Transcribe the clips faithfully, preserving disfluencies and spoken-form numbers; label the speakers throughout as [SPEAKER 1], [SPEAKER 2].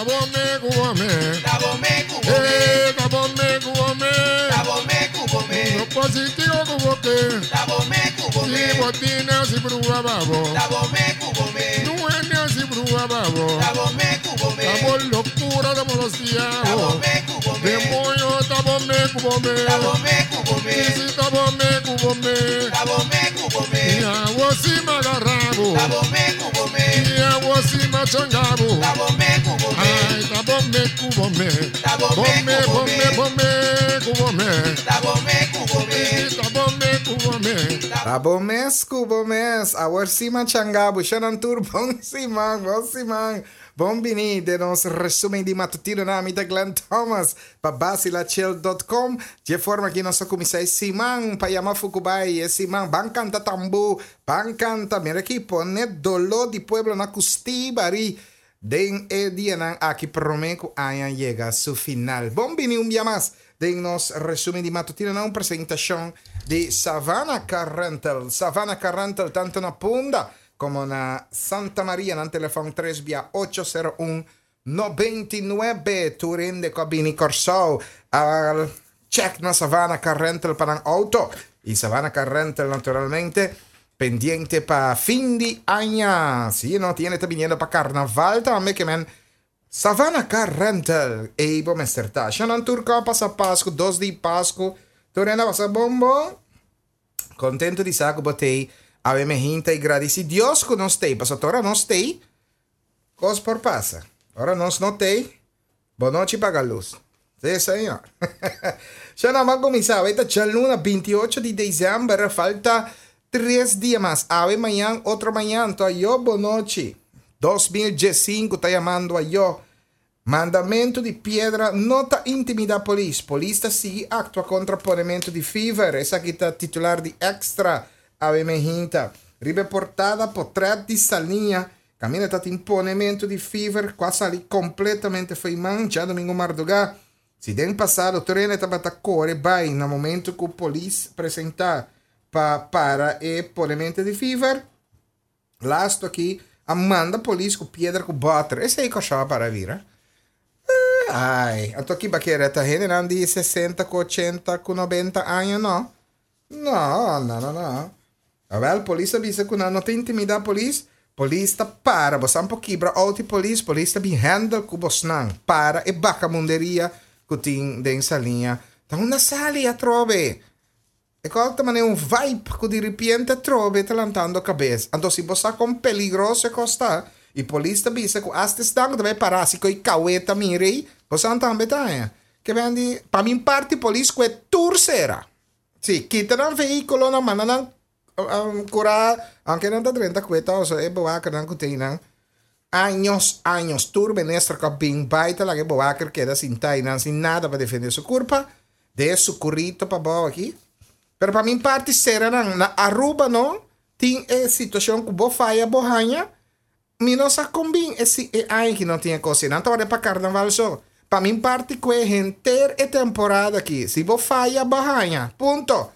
[SPEAKER 1] Tabome kubome.
[SPEAKER 2] Tabome kubome.
[SPEAKER 1] Eh, tabome kubome.
[SPEAKER 2] Tabome kubome.
[SPEAKER 1] No positivo kuboke.
[SPEAKER 2] Tabome kubome.
[SPEAKER 1] Si botina si brua babo.
[SPEAKER 2] Tabome kubome.
[SPEAKER 1] Nuene si brua babo.
[SPEAKER 2] Tabome kubome.
[SPEAKER 1] Tabo locura, tabo los diabos.
[SPEAKER 2] Tabome kubome.
[SPEAKER 1] Demonio, tabome kubome.
[SPEAKER 2] Tabome kubome.
[SPEAKER 1] Si tabome kubome.
[SPEAKER 2] Tabome kubome.
[SPEAKER 1] Ya wosi magarrabo.
[SPEAKER 2] Tabome kubome.
[SPEAKER 1] Ya wosi machangabo.
[SPEAKER 2] Tabome kubome.
[SPEAKER 1] Ay, tabome kubome.
[SPEAKER 2] Tabome
[SPEAKER 1] Bome,
[SPEAKER 2] kubome.
[SPEAKER 1] bome, bome, kubome.
[SPEAKER 2] Tabome kubome.
[SPEAKER 1] Si tabome kubome.
[SPEAKER 3] Tabo mes, kubo mes, awor sima changabu, shonan tur bon siman, bon siman. Bon bini den nos resumen di matutino na mi ta Glenn Thomas pa basilachill punto com. De forma ku nos a kuminsá siman pa yama Fukubai, e siman ban kanta tambu, ban kanta, mira aki pone doló di pueblo na kusti bari. Den e dianan aki promé ku aña yega su final. Bon bini un dia mas den nos resumen di matutino na un presentashon di Savannah Car Rental. Savannah Car Rental tantu na Punda komo na Santa Maria, na telefòn tres via ocho sero un noventa i nuebe. Tur hende ku a bini Kòrsou a check na Savannah Car Rental pa nan outo. I Savannah Car Rental naturalmente pendiente pa fin di aña. Si, no tiene ta viniendo pa karnaval tambe ke men Savannah Car Rental. Ei bo mester ta. Shonan tur kon a pasa Pasku, dos di Pasku. Tur hende a pasa bon bon. Kontentu di sa ku bo tei. Awe me hinta i gradisí Dios ku nos tei. Pasobra ora nos tei, kos por pasa. Ora nos no tei, bonochi paga lus. Sí, señor. Shonan, ban kuminsá. Awe ta djaluna bintiocho di desèmber. Falta tres dia mas. Awe, mañan, otro mañan. To ayo bonochi. dos mil diesinku ta yamando ayo. Mandamentu di piedra no ta intimidá polis. Polis ta sigui aktua kontra ponementu di fever. Esaki ta titular di Extra awe mehinta. Riba e portada potrèt di Saliña. Kaminda ta tin ponementu di fever ku a sali kompletamente fo'i man djadumingu mardugá. Si den pasado tur hende tabata kore bai na momentu ku polis presentá pa para e ponementu di fever, lastu aki a manda polis ku piedra ku bòter. Esei kòrsou a para bira. Ai, anto ki bakera ta hendenan di sesenta ku ochenta ku nobenta aña no? No, no, no, no. Awel, polis a bisa ku nan no ta intimidá polis. Polis ta para. Bosan por kibra outo di polis, polis ta bin handle ku bosnan. Para e bakamunderia ku tin den Saliña. Ta unda sali atrobe. E kos ta manera un vibe ku di ripiente atrobe ta lantando kabes. Anto si bo sa kon peligroso e kos ta, i polis ta bisa ku asta esnan ku ta bai para si ku e kaweta mira ei, bosan tambe ta haña. Ke ben di, pa mi parti polis ku e tur sera. Si, kita nan vehíkulonan, manda nan kurá, aunke nan ta drenta ku e ta, oso e bewakernan ku tin nan. Años, años, tur minister ku a bin bai ta laga e bewaker keda sintá einan sin nada pa defendé su kurpa, de su kurito pa bou aki. Pero pa mi parti sera nan, na Aruba no, tin e situashon ku bo faya bo haña, mi no sa kon bin e si e aña ki no tin e kos ei. Nan ta wòrdu pa karnaval so. Pa mi parti ku e henter e temporada aki, si bo faya bo haña, punto.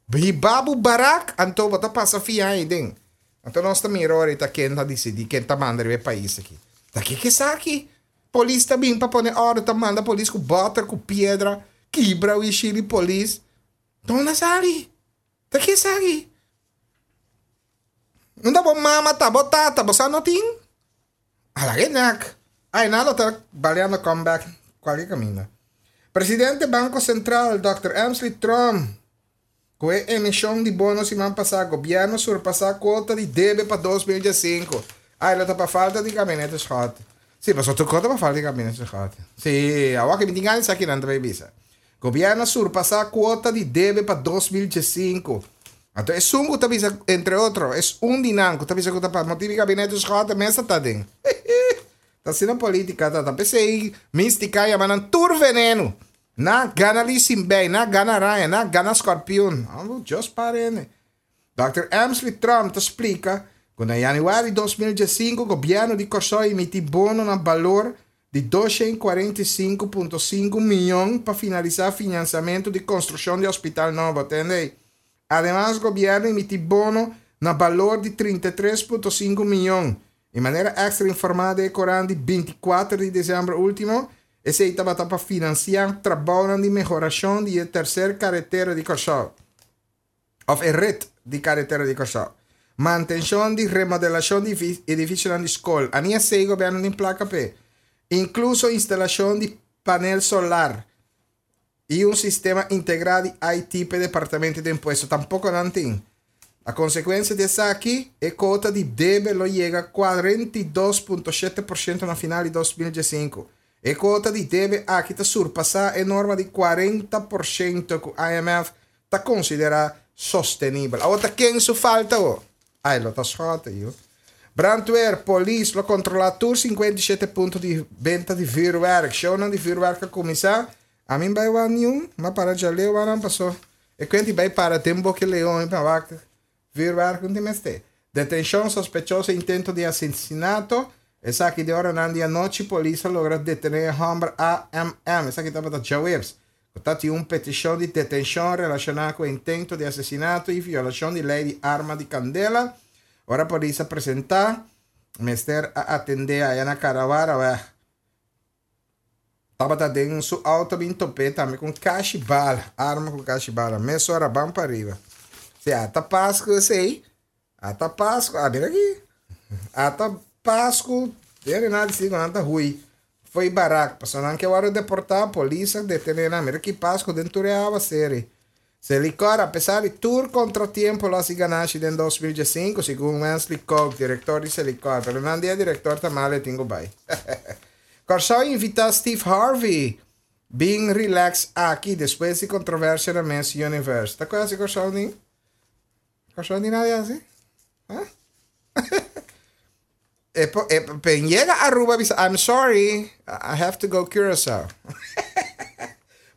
[SPEAKER 3] Hiba bo barak, anto bo ta pasa fia ei den. Anto nos ta mira ora ta ken ta disidí, ken ta manda riba e pais aki. Ta ke ke esaki? Polis ta bin pa pone òrdu, ta manda polis ku bòter, ku piedra, kibra wishí di polis. Dónde sali? Ta ke esaki? Unda bo mama ta, bo tata, bo sa no tin? Ala ke nek. Ai, nan lo ta baleando comeback kualke kaminda. Presidente Banko Sentral, dòkter Emsley Tromp, ku e emishon di bono siman pasá, gobièrnu a surpasá kuota di debe pa dos mil diesinku. Ai, lo ta pa falta di gabinete Schotte. Sí, pasobra tur kos ta pa falta di gabinete Schotte. Sí, awor ke mi tin gana di sa kinan ta bai bisa. Gobièrnu a surpasá kuota di debe pa dos mil diesinku. Anto esun ku ta bisa, entre otro, es un di nan ku ta bisa ku ta pa motibu di gabinete Schotte mes ta ta den. Ta asina politica ta ta. P'esei Mystica yama nan tur veneno. Na gana lisinbei, na gana araña, na gana scorpion. Amo just parene. Dòkter Emsley Tromp ta splika ku na yanüari dos mil diesinku gobièrnu di Kòrsou a emití bono na balor di doshen kuarenta i sinku punto sinku miyon pa finalisá finansiamentu di konstrukshon di hospital nobo. Tende? Ademas gobièrnu emití bono na balor di trinta i tres punto sinku miyon. Di manera Extra informá den korant di bintikuater di desèmber último, esei tabata pa finansiá trabounan di mehorashon di e terser karetera di Kòrsou. Òf e ret di karetera di Kòrsou. Mantenshon di remodelashon di edifisionan di skol. Ani esei gobièrnu tin plaka p'e. Inkluso instalashon di panel solar i un sistema integrá di I T pa departamento di impuesto. Tampoko nan tin. A konsekuensia di esaki, e kuota di debe lo yega kuarenta i dos punto shete porshento na final di dos mil diesinku. E kuota di debe aki ta surpasá e norma di kuarenta porshento ku I M F ta konsiderá sostenibel. Awor ta ken su falta o? Ai, lo ta schot, yo. Brandweer, polis, lo kontrolá tur sinkuenta i shete punto di benta di vuurwerk. Shownan di vuurwerk a kuminsá. Ami bai wan niun, ma para djaleu wan pasó. E kuenti bai para den Boke Leon pa wak. Vuurwerk no tin mester. Detenshon sospechoso intento di asesinato. Esaki den oranan di anochi polis a logra detené hòmber A M M. Esaki tabata djaweps. Tabatin un petishon di detenshon relashoná ku intento di asesinato i violashon di lei di arma di kandela. Ora polis a presentá, mester a atendé aya na Carawara. Tabata den su outo bin top'é tambe ku kashi bala, arma ku kashi bala. Mesora ban pariba. Si ata Pasku sei, ata Pasku, ah, mira aki. Ata Pasku, dere nada si anta hui. Foi barak, pasó nan ke wòrdu deportá, polis a detené nan. Mira ki Pasku den tur awa seri. Selikor, apesar di tur kontratiempo, lo hasi ganashi den dos mil diesinku, segun Wesley Koch, direktor di Selikor. Pero nan dia direktor ta malu, tin ku bai. Kòrsou invitá Steve Harvey. Bin relax aki despues di kontroversia na Miss Universe. Ta kuasi Kòrsou ni? Kòrsou ni nada asina? Huh? E, e, pe yega Aruba bisa, "I'm sorry, I have to go Curaçao."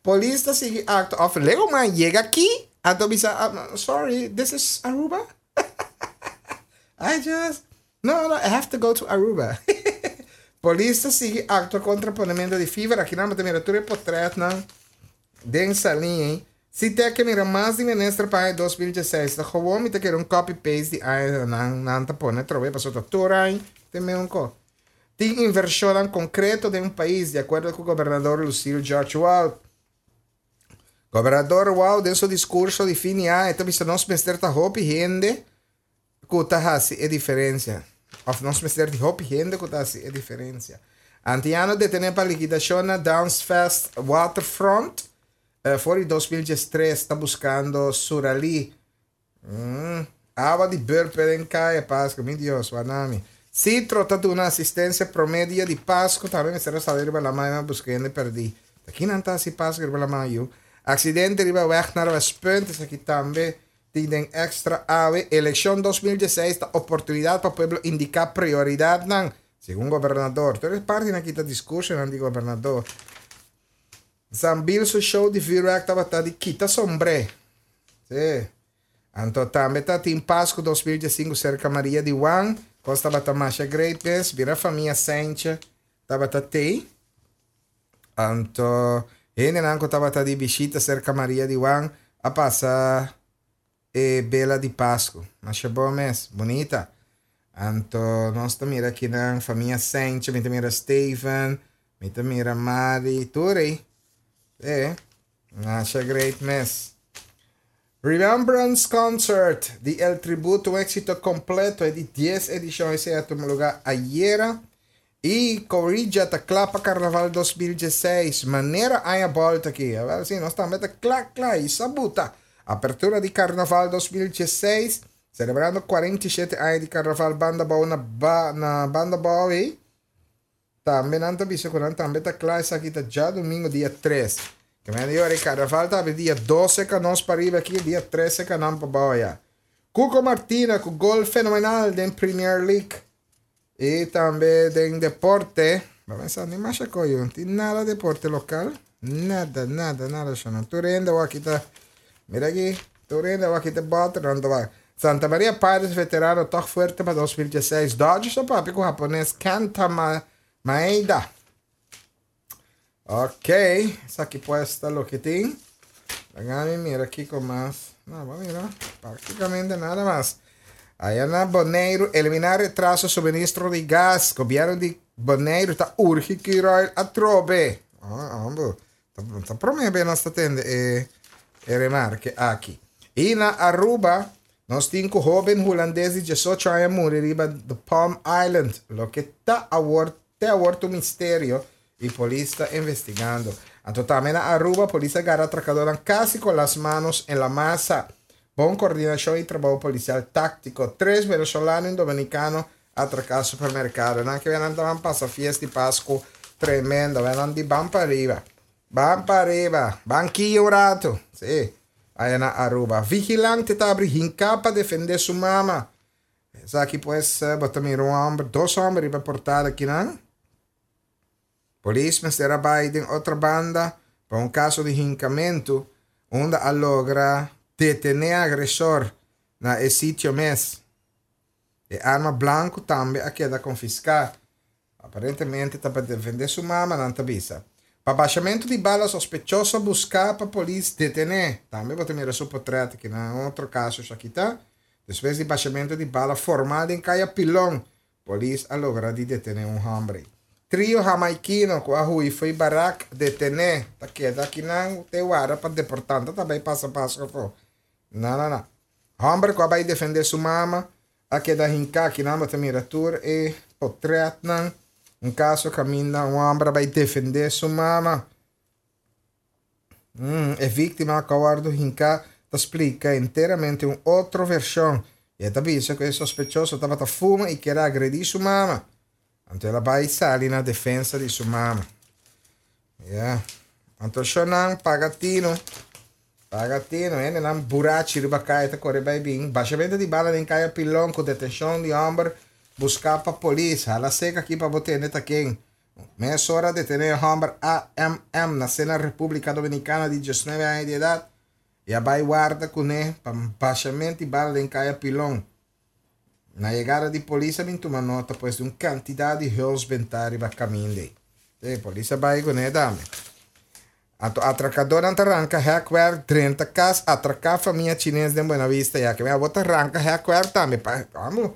[SPEAKER 3] Polis ta sigui aktua of lego man yega aki, anto bisa, "I'm sorry, this is Aruba? I just, no, no, I have to go to Aruba." Polis ta sigui aktua kontra ponementu di fever. Aki nan mira tur portretnan den salinha. Si te ke mira mas di minister pa dos mil diesseis, ta gewoon mi ta kere un copy paste di ay nan nan ta pone trobe paso ta tur ay te me un ko. Tin invershon konkreto den un pais, di akuerdo ku gobernador Lucille George Wout. Gobernador Wout, den su diskurso di fin di aña, ta bisa nos mester ta hopi hende ku ta hasi e diferensia. Of nos mester di hopi hende ku ta hasi e diferensia. Antiano detené pa likidashon na Dance Fest Waterfront. Uh, for di dos mil diestres ta buskando Surali. Mm. Awa di burper en kaya Pasku, mi Dios, wanami. Citro ta duna asistensia promé dia di Pasku, tambe mester sali riba laman buskando pèrdí. Aki nan ta si Pasku riba laman yu. Aksidente riba weg naar Westpunt, aki tambe tin Extra awe. Elekshon dos mil diesseis ta oportunidat pa pueblo indiká prioridatnan, segun gobernador. Tur parti aki ta diskurso di gobernador. Sambil su show di vuurwerk tabata di kita sombré. Si. Anto tambe ta tin Pasku dos mil diesinku serka Maria di Juan, costa tabata masha greatness, bira famia Sanchez, tabata tei. Anto hendenan ku tabata di bishita serka Maria di Juan a pasa e bela di Pasku. Masha bon mes, bunita. Anto nos ta mira aki na famia Sanchez, mi ta mira Steven, mi ta mira Mari, tur. E, masha great mes. Remembrance Concert di El Tributo, un éksito kompleto, di dies edishon, esei a tuma lugá ayera. I Corilla ta kla pa Karnaval dos mil diesseis, manera aña volta aki. Awor si, nos tambe ta kla, kla, i sabuta. Apertura di Karnaval dos mil diesseis, selebrando kuarenta i shete aña di Karnaval Banda Bou na, ba, na Banda Bou, eh? Tambe nan ta bisa ku nan tambe ta kla, esaki ta djadumingu dia tres. Ke men di Karnaval ta dia dose ku nos pariba aki, dia trese ku nan pabou ya. Cuco Martina ku gol fenomenal den Premier League. I tambe den deporte. Ban pensa, ni mas koyo, no tin nada deporte lokal. Nada, nada, nada. Shona. Tur hende aki ta. Mira aki, tur hende aki ta boter, nan ta. Santa Maria Pirates veterano toch fuerte pa dos mil diesseis. Dodgers a papia ku hapones Kenta Ma Maeda. Ok, esaki pues ta loke tin. Laga mira aki ku mas. No, ban mira. Práktikamente nada mas. Aya na Boneiru, eliminá retraso suministro di gas. Gobièrnu di Boneiru ta urgi Curoil atrobe. Ah, ah, ta, ta promé bes nos ta tende e, e remarke aki. I na Aruba, nos tin ku hóben hulandes di diesocho aña a muri riba The Palm Island, loke ta awor, te awor un misterio i polis ta investigando. Anto tambe na Aruba, polis a gara atrakadó kasi ku las manos en la masa. Bon koordinashon i trabou polisial táktiko. Tres venezolano i dominikano a atraká supermerkado. Nan ku nan pasa fiesta di Pasku tremendo. Nan di ban pa ariba. Ban pa ariba. Banki un ratu. Si. Aya na Aruba. Vigilante ta habri hinká pa defendé su mama. Aki pues, bo ta mira un hòmber, dos hòmber riba portada aki, no? Polis mester a bai den Otrobanda pa un kaso di hinkamentu, unda a logra detené agresor na e sitio mes. E arma blanku tambe a keda konfiská. Aparentemente ta pa defendé su mama, nan ta bisa. Pa bashamentu di bala sospechoso buská pa polis detené. Tambe bo ta mira su portrèt aki na otro kaso aki ta. Despues di bashamentu di bala formal den Kaya Pilon, polis a logra di detené un hòmber. Trio hamaikino ku a hui for di barak detené. Ta keda aki nan te warda pa deportá. Tambe pasa paso po. No, no, no. Hòmber ku a bai defendé su mama, a keda hinká aki nan bo ta mira tur e portrèt nan. Un kaso kaminda un hòmber a bai defendé su mama. Hum, e víktima ku a wòrdu hinká ta splika enteramente un otro vershon. I ta bisa ku e sospechoso tabata fuma i ker a agredí su mama. Anto el a bai sali na defensa di su mama. Yeah. Anto shonan paga tino. Paga tino, eh? Nan burachi riba kaya ta kore bai bin. Bashamentu di bala den Kaya Pilon ku detenshon di hòmber buská pa polis. Hala seka aki pa bo tende ta ken. Mesora a detené hòmber A M M nasí na Repúblika Dominikana di diesnuebe aña di edat. I a bai warda kuné pa bashamentu di bala den Kaya Pilon. Na yegada di polis a bin tuma nota pues di un kantidat di huls bentá riba kaminda. E polis a bai kuné tambe. Anto atrakadónan ta ranka hekwerk drenta kas atraká famia chines den Buena Vista ya ku mi a bota ranka hekwerk tambe pa vamos.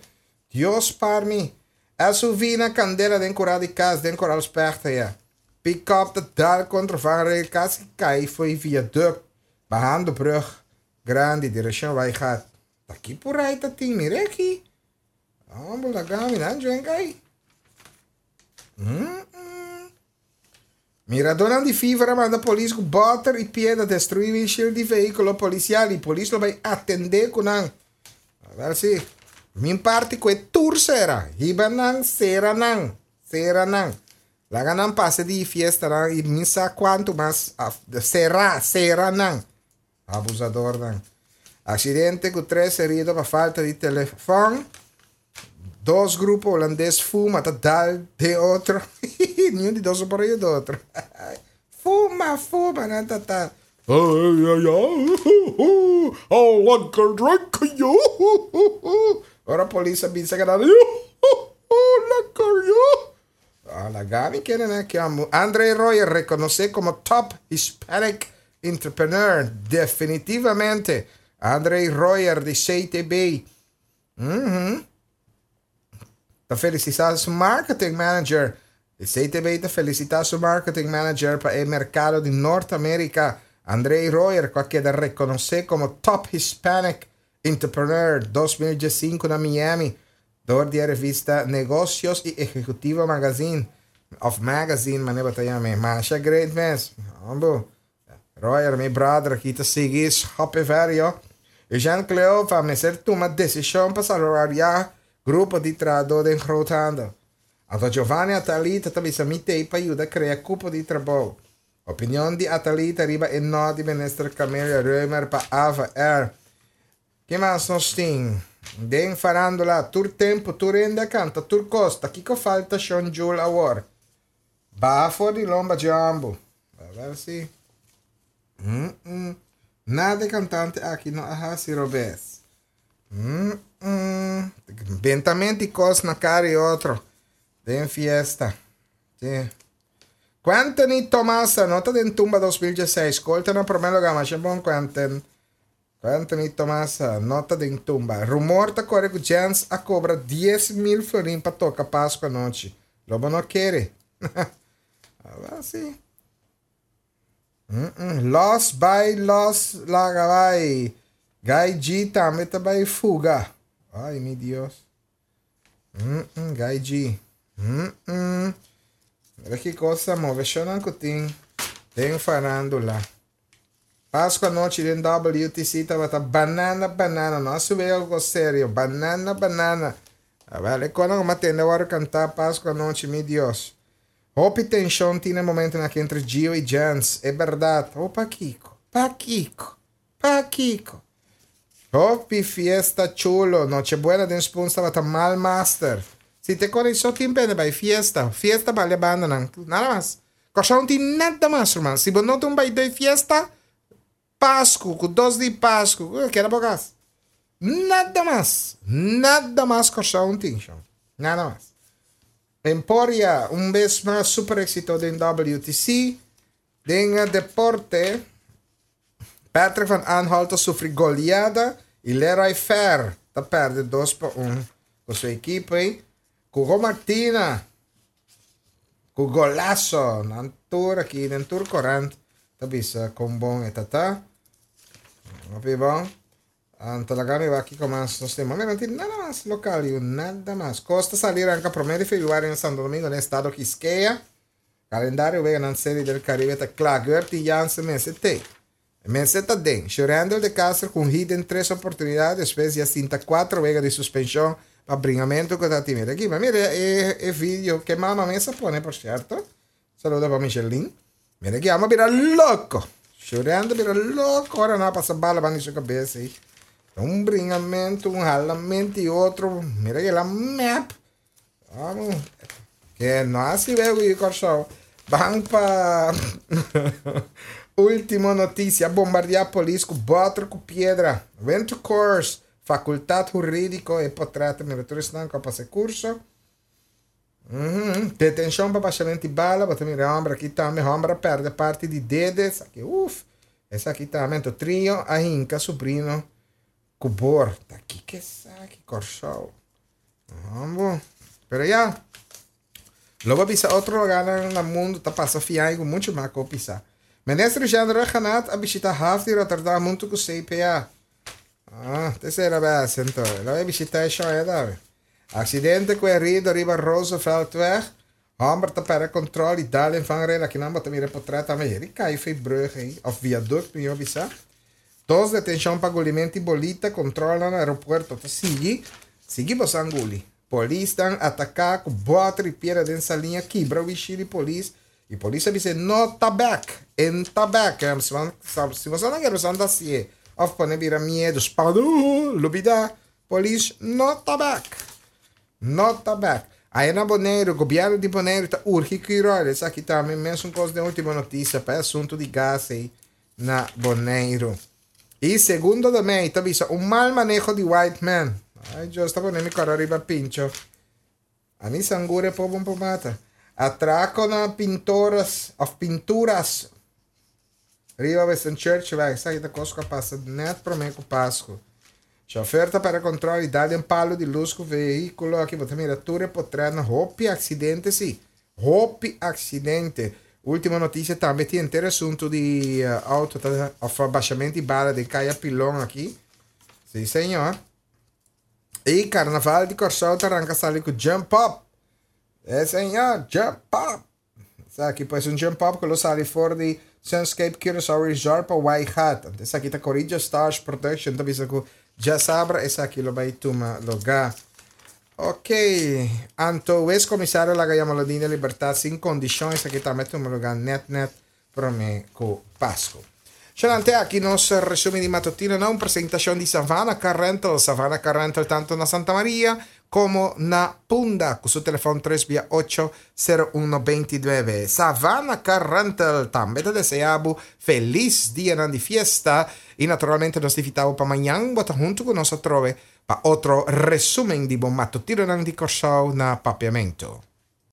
[SPEAKER 3] Dios par mi. S U V na kandela den kurá di kas den Koraal Specht ya. Pick-up ta dal kontra vangrail kasi kai for di viaduct bahando brug grandi direkshon Waaigat. Aki por ei ta tin mira aki. Vamos laga mi nan jen kai. Mm -mm. Miradónan di Fever a manda polis ku bòter i piedra destruí windshield di vehíkulo polisial i polis lo bai atendé ku nan. A ber si. Min parti ku e tur sera. Hiba nan, sera nan. Sera nan. Laga nan pasa di fiesta nan i mi sa kuantu mas sera, sera nan. Abusador nan. Aksidente ku tres herido pa falta di telefòn. Dos grupo hulandes fuma ta dal den otro. Ningun di dos por di otro. Fuma, fuma, nan ta ta. Oh, lekker drink, yo. Ora polis a bisa ku lekker, yo. Ah, laga mi kere ne ku amo. Andre Royer rekonosé komo top Hispanic entrepreneur. Definitivamente. Andre Royer di C T B. Uhum. Ta felisitá su marketing manager. E C T B ta felisitá su marketing manager pa e merkado di Norteamérika. Andre Royer, ku a keda rekonosé komo top Hispanic Entrepreneur dos mil diesinku na Miami. Dor di revista Negocios y Ejecutivo Magazine. Of Magazine, manera ta yama. Masha great mes. Ambo. Royer, mi brother, aki ta sigui, hopi verio. Eugène Cleofa, mester tuma desishon pa salvaguardiá grupo di trahadó den groothandel. Anto Giovanni Atalita tambe mi t'ei pa yuda krea kupo di trabou. Opinion di Atalita riba e no di minister Camelia Römer pa Ava Air. Ke mas nos tin? Den farándula, tur tempu, tur hende a kanta, tur kos. Kiko falta Sean Jule awor? Bafo di lomba jambo. A ber si. Mm -mm. Nada kantante aki no a hasi robes. Mm -mm. Bentamento kos na kara di otro. Den fiesta. Si. Quentin Tomasa, nota den Tumba dos mil diesseis. Skolta na promé lugá, mas bon Quentin. Anthony Tomasa, nota den tumba. Rumor ta kore ku Jens a kobra dies mil florin pa toka Pasku anochi. Lo bo no kere. Aba si. Mm -mm. Los bai, los laga bai. Gai G tambe ta bai fuga. Ai, mi Dios. Mm -mm, Gai G. Mm -mm. Mira ki kos a move shonan ku tin den farándula. Pasku anochi den W T C tabata banana banana. No a subi algo serio. Banana banana. A ver, kuando mi a tende awor kanta Pasku anochi, mi Dios. Hopi tenshon tin e momento aki entre Gio i Jens. E berdat. O Paquico. Paquico. Paquico. Hopi fiesta chulo. Nochebuena den Spoons tabata mal master. Si te kore so tin pene bai fiesta. Fiesta bale banda nan. Nada mas. Kòrsou no tin nada mas, ruman. Si bo no tin bai di fiesta, Pasku, ku dos di Pasku, keda bo kas. Nada mas. Nada mas Kòrsou no tin. Nada mas. Emporia, un bes mas super éksito den W T C. Den deporte, Patrick van Aanholt a sufri goleada i Leroy Fer ta pèrdè dos pa un ku su ekipo. Cuco Martina, ku golazo, na tur aki, na tur korant, ta bisa kon bon e ta. Hopi bon. Anto laga mi aki kon mas nos tin. No tin nada mas lokal, nada mas. Costa sali ranka promé di febrüari na Santo Domingo, na estado Quisqueya. Kalendario wega na Serie del Caribe ta kla. Gertie Jansen mester te. Mester ta den. Shurendel de Castro ku hit den tres oportunidat, despues ya sinta kuater wega di suspenshon pa bringamentu ku ta tin aki. Ma mira e, e video ku mama mes a pone, por sierto. Saludo pa Micheline. Mira aki, a bira loko. Shurendel bira loko. Ora nan pasa bala na su kabes ei. Un bringamentu, un halamentu i otro. Mira ku el a map. Vamos. Ku no asina e Kòrsou. Ban pa último notisia. Bombardiá polis ku bòter ku piedra. Went to course. Fakultat Hurídiko e portrèt. Mira, tur esnan ku pasa kurso. Uhum. Detenshon pa bashamentu di bala. Bo ta mira hòmber aki tambe. Hòmber a pèrdè parti di dede. Esaki, uf. Esaki tambe. Trio a hinka subrino ku bor. Aki ku esaki, Kòrsou. Vamos. Pero ya. Lo bai bisa otro lugá na mundu ta pasa fiai ku muchu mas ku pisa. Minister Jean Raghunath a bishitá haf di Rotterdam huntu ku C P A. Ah, tersera bes, anto. El a bishitá e show, dawe. Aksidente ku herido riba Rooseveltweg. Hòmber ta pèrdè kontròl i dal den vangrail. Aki nan bo ta mira portrèt tambe. El a kai for di brùg ei, òf viaduct, mi bisa. Dos detenshon pa gulimentu di bolita, kontròl na aeropuerto. Ta sigui, sigui bo guli. Polis ta ataká ku bòter i piedra den Saliña, kibra winshil di polis. I polis a bisa no ta bèk, e n' ta bèk. Si bo no ke anda asina, òf pone bira miedu, spantu, lubidá, polis no ta bèk. No ta bèk. Ei na Boneiru, gobièrnu di Boneiru ta urgi Curoil. Esaki tambe mesun kos di último notisia pa asuntu di gas ei na Boneiru. I segundo tambe, ta bisa un mal maneho di white man. Ai, Dios, ta pone mi kara riba pincho. Ami sangure po bom mata. Atrako na pintoras, of pinturas. Riba Western Church, bai, esaki ta kos ku a pasa net promé ku Pasku. Chauffeur ta pèrdè kontròl i dal den palu di lus ku vehíkulo. Aki bo ta mira tur portrèt na hopi aksidente, si. Hopi aksidente. Último notisia tambe tin henter asuntu di uh, outo, ta, òf bashamentu di bala di Kaya Pilon aki. Si, señor. I Karnaval di Kòrsou ta ranka sali ku Jump Up. E, señor, Jump Up. Esaki pues un Jump Up ku lo sali for di Sunscape Curaçao Resort pa White Hat. Esaki ta Corinthians Stars Production, ta bisa ku djasabra esaki lo bai tuma lugá. Ok, anto ex komisario a laga Jamaloodin den libertat sin kondishon, esaki tambe a tuma lugá net net promé ku Pasku. Xanante aki nos resumen di matutino na un presentashon di Savannah Car Rental. Savannah Car Rental tantu na Santa Maria komo na Punda, ku su telefòn tres ocho, sero un dos nuebe. Savannah Car Rental tambe ta deseá bo felis dia di fiesta i naturalmente nos ta invitá bo pa mañan bo ta huntu ku nos atrobe pa otro resumen di bo matutino di Kòrsou na Papiamento.